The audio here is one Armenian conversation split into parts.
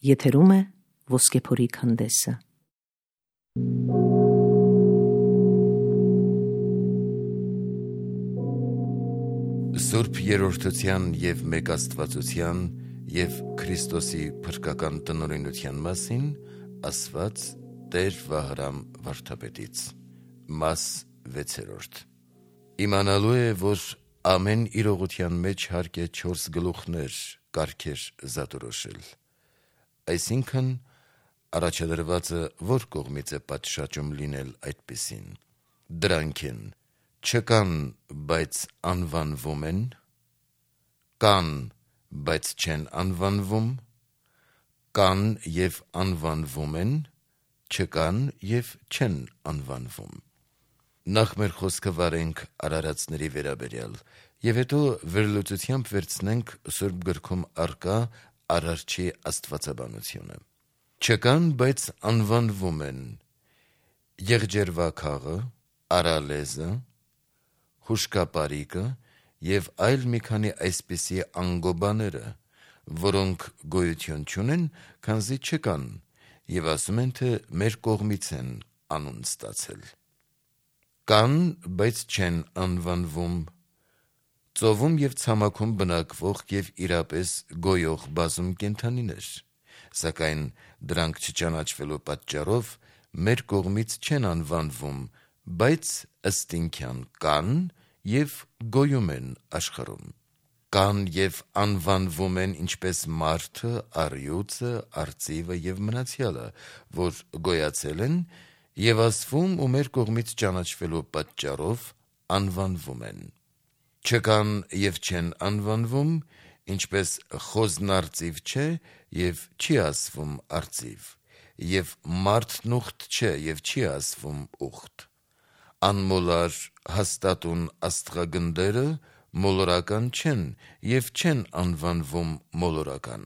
Եթերում է Ոսկեփորի քանդեսը։ Սուրբ Երրորդության և Մեկաստվածության և Քրիստոսի փրկական տնօրինության մասին ասված Տեր Վահրամ վարդապետից։ Մաս 6. Իմանալու է, որ ամեն իրողության մեջ հարկ է 4 գլուխներ կարգեր զատորոշել։ Այսինքն, առաջադրվածը որ կողմից է պատշաճում լինել այդպիսին։ Դրանք են. չկան, բայց անվանվում են, կան, բայց չեն անվանվում, կան և անվանվում են, չկան և չեն անվանվում։ Նախ մեր խոսքը վարենք արարածների վերաբերյալ և հետո վերլուծությամբ վերցնենք Սուրբ գրքում առկա Արարչի աստվածաբանությունը։ Չկան, բայց անվանվում են եղջերվաքաղը, արալեզը, հուշկապարիկը և այլ մի քանի այսպիսի անգոբաները, որոնք գոյություն չունեն, քանզի չկան, և ասում են, թե մեր կողմից են անուն ստացել։ Կան, բայց չեն անվանվում, ծովում և ցամաքում բնակվող և իրապես գոյող բազում կենդանիներ, սակայն դրանք չճանաչվելու պատճառով մեր կողմից չեն անվանվում, բայց ըստինքյան կան և գոյում են աշխարհում։ Կան և անվանվում են ինչպես մարդը, առյուծը, արծիվը և մնացյալը, որ գոյացել են և ասվում ու մեր կողմից ճանաչվելու պատճառով անվանվում են։ Չկան և չեն անվանվում, ինչպես խոզն արծիվ չէ և չի ասվում արծիվ, և մարդն ուղտ չէ և չի ասվում ուղտ։ Անմոլար հաստատուն աստղագնդերը մոլորական չեն և չեն անվանվում մոլորական։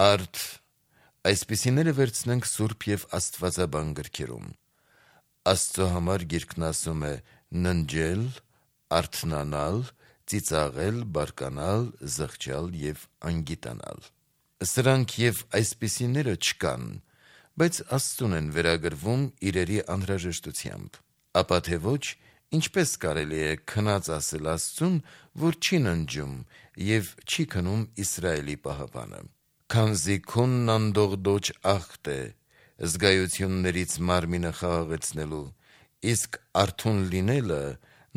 Արդ այսպիսիները վերցնենք սուրբ և աստվածաբան գրքերում։ Աստծո համար Գիրքն ասում է ննջել, արթնանալ, ծիծաղել, բարկանալ, զղջալ և անգիտանալ։ Սրանք և այսպիսիները չկան, բայց Աստծուն են վերագրվում իրերի անհրաժեշտությամբ։ Ապա թե ոչ, ինչպես կարելի է քնած ասել Աստծուն, որ չի ննջում և չի քնում Իսրայելի պահապանը։ Քանզի քունն անդողդոջ ախտ է, զգայություններից մարմինը խաղաղեցնելու, իսկ արթուն լինելը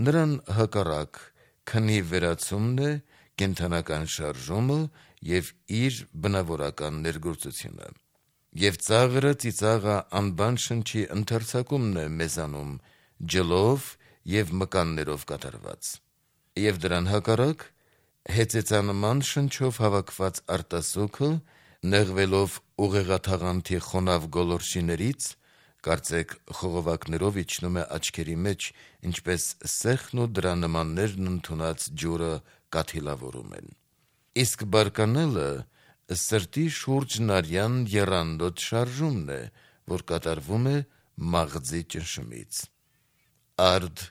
նրան հակառակ քնի վերացումն է, կենդանական շարժումը և իր բնավորական ներգործությունը։ Եվ ծաղրը ծիծաղը անբան շնչի ընդարձակումն է մեզանում, ջլով և մկաններով կատարված։ Եվ դրան հակառակ հեծեծանման շնչով հավաքված արտասուքը, նեղվելով ուղեղաթաղանթի խոնավ գոլորշիներից, կարծեք խողովակներով իջնում է աչքերի մեջ, ինչպես սեխն ու դրա նմաններն ընդունած ջուրը կաթիլավորում են։ Իսկ բարկանալը սրտի շուրջն արյան եռանդոտ շարժումն է, որ կատարվում է մաղձի ճնշումից։ Արդ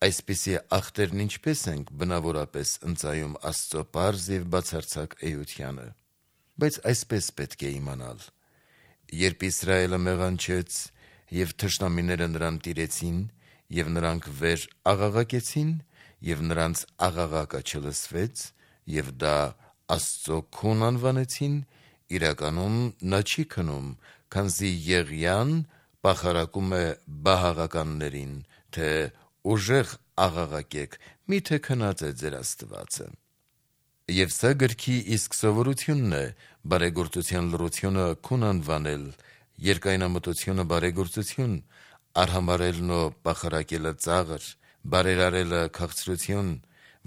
այսպիսի ախտերն ինչպես ենք բնավորապես ընծայում Աստծո պարզ և բացարձակ էությանը։ Բայց այսպես պետք է իմանալ. երբ Իսրայելը մեղանչեց և թշնամիները նրան տիրեցին, և նրանք վեր աղաղակեցին, և նրանց աղաղակը չլսվեց, և դա Աստծո քուն անվանեցին, իրականում նա չի քնում, քանզի Եղիան պախարակում է բահաղականներին, թե ուժեղ աղաղակեք, միթե քնած է ձեր Աստվածը։ Եվ սա գրքի իսկ սովորությունն է, բարեգործության լռությունը քուն անվանել, երկայնամտությունը բարեգործություն, արհամարհելն ու պախարակելը ծաղր, բարերարելը քաղցրություն,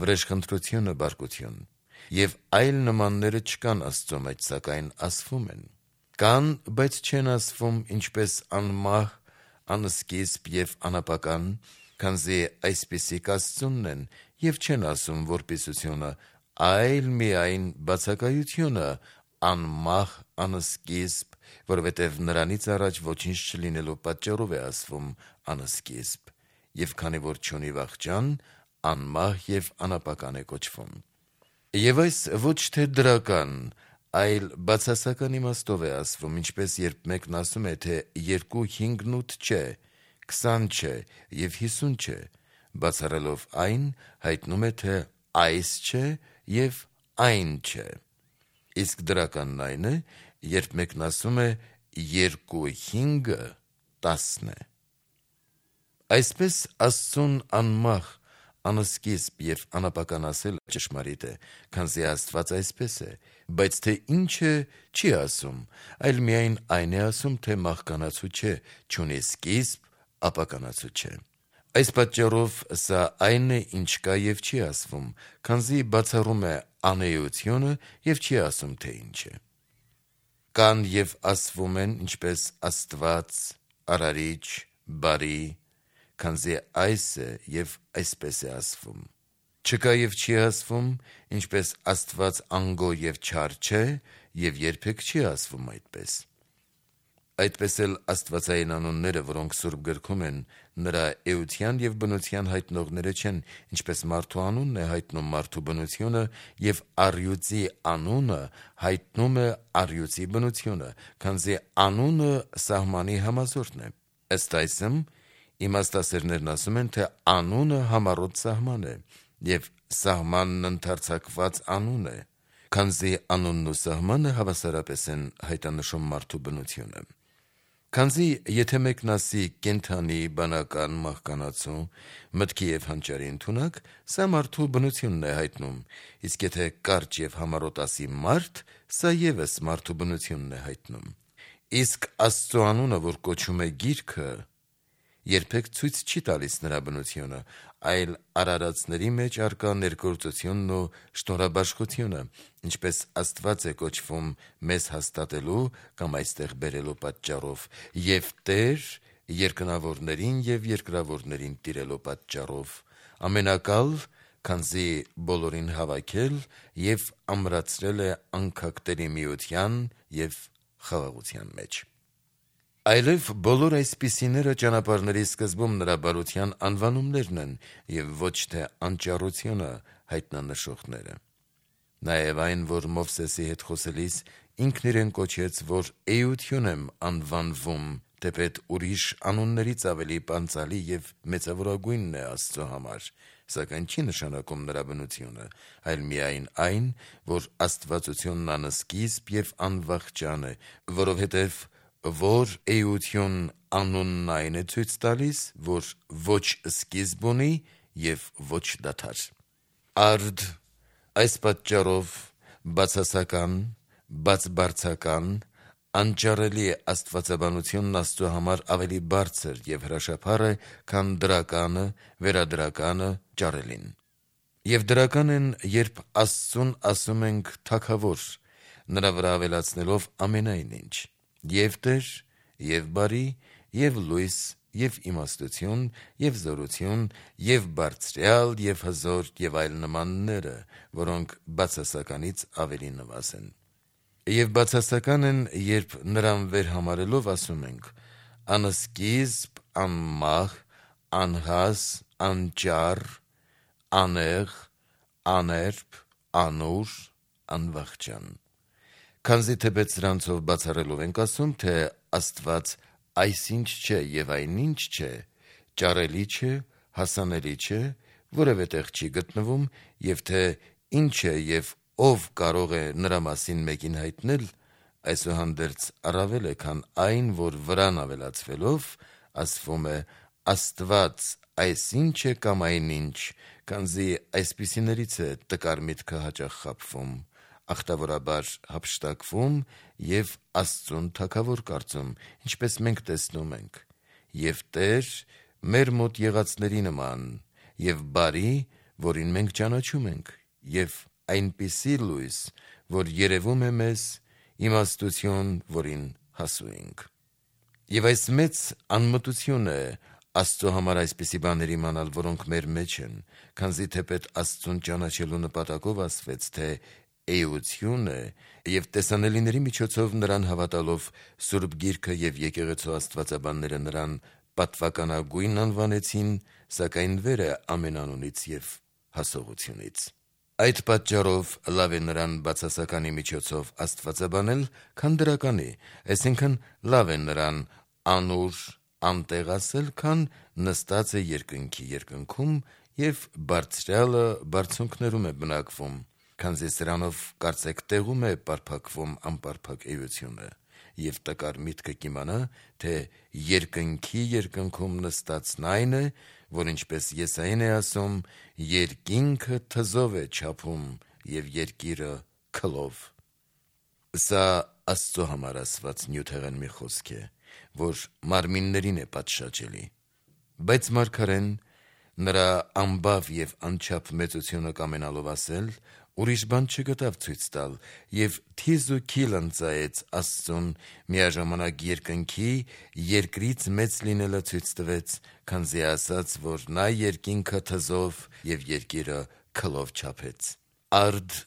վրեժխնդրությունը բարկություն։ Եվ այլ նմանները չկան Աստծո մեջ, սակայն ասվում են։ Կան, բայց չեն ասվում, ինչպես անմահ, անսկիզբ և անապական, քանզի այսպիսիք Աստծունն են, և չեն ասում որպիսությունը, այլ միայն բացակայությունը անմահ, անսկիզբ, որովհետև նրանից առաջ ոչինչ չլինելու պատճառով է ասվում անսկիզբ, և քանի որ չունի վախճան, անմահ և անապական է կոչվում։ Եվ այս ոչ թե դրական, այլ բացասական իմաստով է ասվում, ինչպես երբ մեկն ասում է, թե 2 5 8 չէ, 20 չէ եւ 50 չէ, բացառելով այն, հայտնում է, թե այս չէ եւ այն չէ։ Իսկ դրականն այն է, երբ մեկն ասում է 2 5-ը 10 է։ Այսպես Աստծուն անմահ, անսկիզբ եւ անապական ասել ճշմարիտ է, քանզի Աստված այսպես է, բայց թե ինչ է չի ասում, այլ միայն այն է ասում, թե մահկանացու չէ, չունի սկիզբ, ապականացու չէ։ Այս պատճառով սա այն է, ինչ կա եւ չի ասվում, քանզի բացառում է անեությունը եւ չի ասում, թե ինչ է։ Կան եւ ասվում են, ինչպես Աստված, Արարիչ, Բարի, քանզի այս է եւ այսպես է ասվում։ Չկա եւ չի ասվում, ինչպես Աստված անգո եւ չար չէ եւ երբեք չի ասվում այդպես։ Այդպես էլ աստվածային անունները, որոնք Սուրբ գրքում են, նրա էության եւ բնության հայտնողները չեն, ինչպես մարդու անունն է հայտնում մարդու բնությունը եւ առյուծի անունը հայտնում է առյուծի բնությունը, քանզի անունը սահմանի համազորն է։ Ըստ այսմ, իմաստասերներն ասում են, թե անունը համառոտ սահման է եւ սահմանն ընդարձակված անուն է, քանզի անունն ու սահմանը հավասարապես են հայտանշում մարդու բնությունը։ Քանզի եթե մեկն ասի կենդանի, բանական, մահկանացու, մտքի եւ հանճարի ընդունակ, սա մարդու բնությունն է հայտնում, իսկ եթե կարճ եւ համառոտ ասի մարդ, սա եւս մարդու բնությունն է հայտնում։ Իսկ Աստծո անունը, որ կոչում է Գիրքը, երբեք ցույց չի տալիս նրա բնությունը, այլ արարածների մեջ արկա ներգործությունն ու շնորհաբաշխությունը, ինչպես Աստված է կոչվում մեզ հաստատելու կամ այստեղ բերելու պատճառով, եւ Տեր երկնավորներին եւ երկրավորներին տիրելու պատճառով, ամենակալ, քանզի բոլորին հավաքել եւ ամրացրել է անքակտերի միության եւ խաղաղության մեջ։ Այլև բոլոր այսպիսիները ճանապարհների սկզբում նրա բարության անվանումներն են եւ ոչ թե անճառությունը հայտնանշողները։ Նաեւ այն, որ Մովսեսի հետ խոսելիս ինքն իրեն կոչեց, որ էություն եմ անվանվում, թեպետ ուրիշ անուններից ավելի պանծալի եւ մեծավորագույնն է Աստծո համար, սակայն չի նշանակում նրա բնությունը, այլ միայն այն, որ Աստվածությունն անսկիզբ եւ անվախճան է, որովհետեւ որ էություն անունն այն է ցույց տալիս, որ ոչ սկիզբ ունի եւ ոչ դադար։ Արդ այս պատճառով բացասական, բացբարձական, անճարելի է աստվածաբանությունն Աստծո համար ավելի բարձր եւ հրաշափառ է, քան դրականը, վերադրականը, ճարելին։ Եվ դրական են, երբ Աստծուն ասում ենք թագավոր, նրա վրա ավելացնելով ամենայն ինչ։ Եվ Տեր, եւ բարի, եւ լույս, եւ իմաստություն, եւ զորություն, եւ բարձրյալ, եւ հզոր, եւ այլ նմանները, որոնք բացասականից ավելի նվազ են։ Եվ բացասական են, երբ նրան վերհամարելով ասում ենք. անսկիզբ, անմահ, անհաս, անճար, անեղ, աներբ, անուր, անվախճան։ Քանզի թեպետ սրանցով բացառելով ենք ասում, թե Աստված այսինչ չէ եւ այնինչ չէ, ճարելի չէ, հասանելի չէ, որևէ տեղ չի գտնվում, եւ թե ինչ է եւ ով կարող է նրա մասին մեկին հայտնել, այսուհանդերձ առավել է, քան այն, որ վրան ավելացվելով ասվում է Աստված այսինչ է կամ այնինչ, քանզի այսպիսիներից է տկար միտքը հաճախ խաբվում, ախտավորաբար հափշտակվում եւ Աստծուն թագավոր կարծում, ինչպես մենք տեսնում ենք, եւ Տեր մեր մոտ եղածների նման, եւ բարի, որին մենք ճանաչում ենք, եւ այնպիսի լույս, որ երևում է մեզ, իմաստություն, որին հասու ենք։ Եվ այս մեծ անմտություն է Աստծո համար այսպիսի բաներ իմանալ, որոնք մեր մեջ են, քանզի թեպետ Աստծուն ճանաչելու նպատակով ասվեց, թե էություն է, եւ տեսանելիների միջոցով նրան հավատալով Սուրբ Գիրքը եւ եկեղեցու աստվածաբանները նրան պատվականագույն անվանեցին, սակայն վեր է ամեն անունից եւ հասողությունից։ Այդ պատճառով լավ է նրան բացասականի միջոցով աստվածաբանել, քան դրականի, այսինքն լավ է նրան անուր անտեղ ասել, քան նստած է երկնքի երկնքում եւ բարձրյալը բարձունքներում է բնակվում, քանզի սրանով կարծեք տեղում է պարփակվում անպարփակ էությունը, եւ տկար միտքը կիմանա, թե երկնքի երկնքում նստածն այն է, որ ինչպես Եսային է ասում, երկինքը թզով է չափում եւ երկիրը քլով։ Սա Աստծո համար ասված նյութեղեն մի խոսք է, որ մարմիններին է պատշաճելի, բայց մարգարեն նրա անբավ եւ անչափ մեծությունը կամենալով ասել, ուրիշ բան չգտավ ցույց տալ եւ թիզ ու քիլ ընծայեց Աստծուն, միաժամանակ երկնքի երկրից մեծ լինելը ցույց տվեց, քանզի ասաց, որ նա երկինքը թզով եւ երկիրը քլով չափեց։ Արդ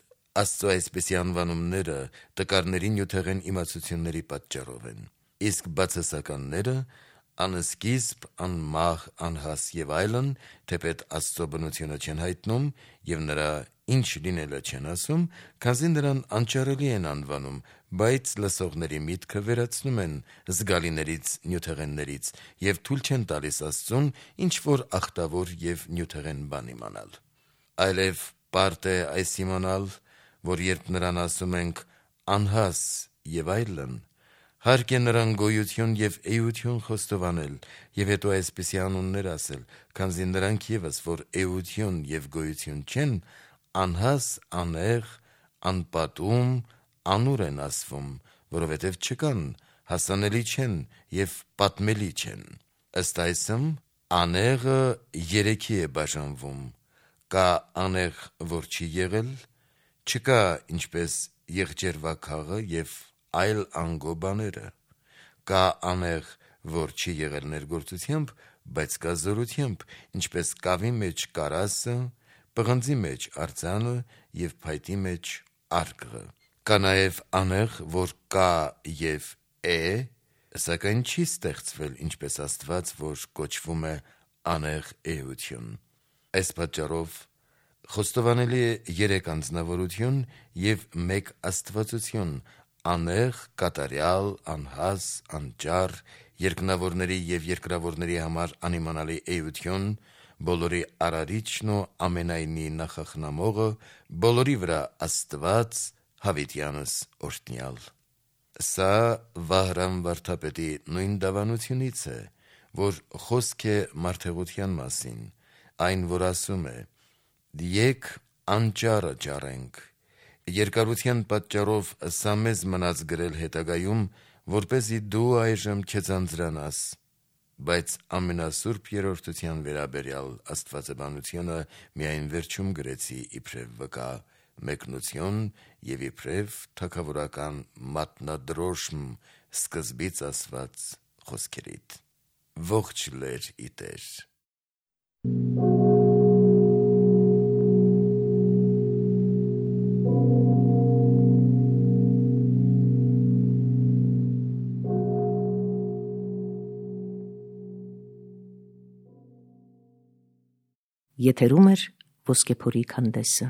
Աստծո այսպիսի անվանումները տկարների նյութեղեն իմացությունների պատճառով են, իսկ բացասականները անսկիզբ, անմահ, անհաս եւ այլն, թեպետ Աստծո բնությունը չեն հայտնում եւ նրա ինչ լինելը չեն ասում, քանզի նրան անճարելի են անվանում, բայց լսողների միտքը վերացնում են զգալիներից, նյութեղեններից եւ թույլ չեն տալիս Աստծուն ինչ որ ախտավոր եւ նյութեղեն բան իմանալ։ Այլև պարտ է այս իմանալ, որ երբ նրան ասում ենք անհաս եւ այլն, հարկ է նրան գոյություն եւ էություն խոստովանել եւ հետո այսպիսի անուններ ասել, քանզի նրանք եւս, որ էություն եւ գոյություն չեն, անհաս, անեղ, անպատում, անուր են ասվում, որովհետեւ չկան, հասանելի չեն եւ պատմելի չեն։ Ըստ այսմ, անեղը երեքի է բաժանվում. կա անեղ, որ չի եղել, չկա ինչպես եղջերվա քաղը եւ այլ անգո բաները, կա անեղ, որ չի եղել ներգործությամբ, բայց կա զորությամբ, ինչպես կավի մեջ կարասը, պղնձի մեջ արձանը եւ փայտի մեջ արկղը, կա նաեւ անեղ, որ կա եւ է, սակայն չի ստեղծվել, ինչպես Աստված, որ կոչվում է անեղ էություն։ Այս պատճառով խոստովանելի է 3 անձնավորություն եւ 1 աստվածություն, անեղ, կատարյալ, անհաս, անճար, երկնավորների եւ երկրավորների համար անիմանալի էություն, բոլորի արարիչն ու ամենայնի նախախնամողը, բոլորի վրա Աստված, հավիտյանս օրհնյալ։ Սա Վահրամ վարդապետի նույն դավանությունից է, որ խոսք է մարդեղության մասին, այն որ ասում է. «Եկ անճարը ջարենք»։ Երկարության պատճառով սա մեզ մնաց գրել հետագայում, որպեսզի դու այժմ չձանձրանաս, բայց ամենասուրբ երրորդության վերաբերյալ աստվածաբանությունը միայն վերջում գրեցի իբրև վկա, մեկնություն եւ իբրև թագավորական մատնադրոշմ սկզբից ասված խոսքերիդ։ Ողջ լեր ի Տեր։ Եթերում է Ոսկեփորի քանդեսը։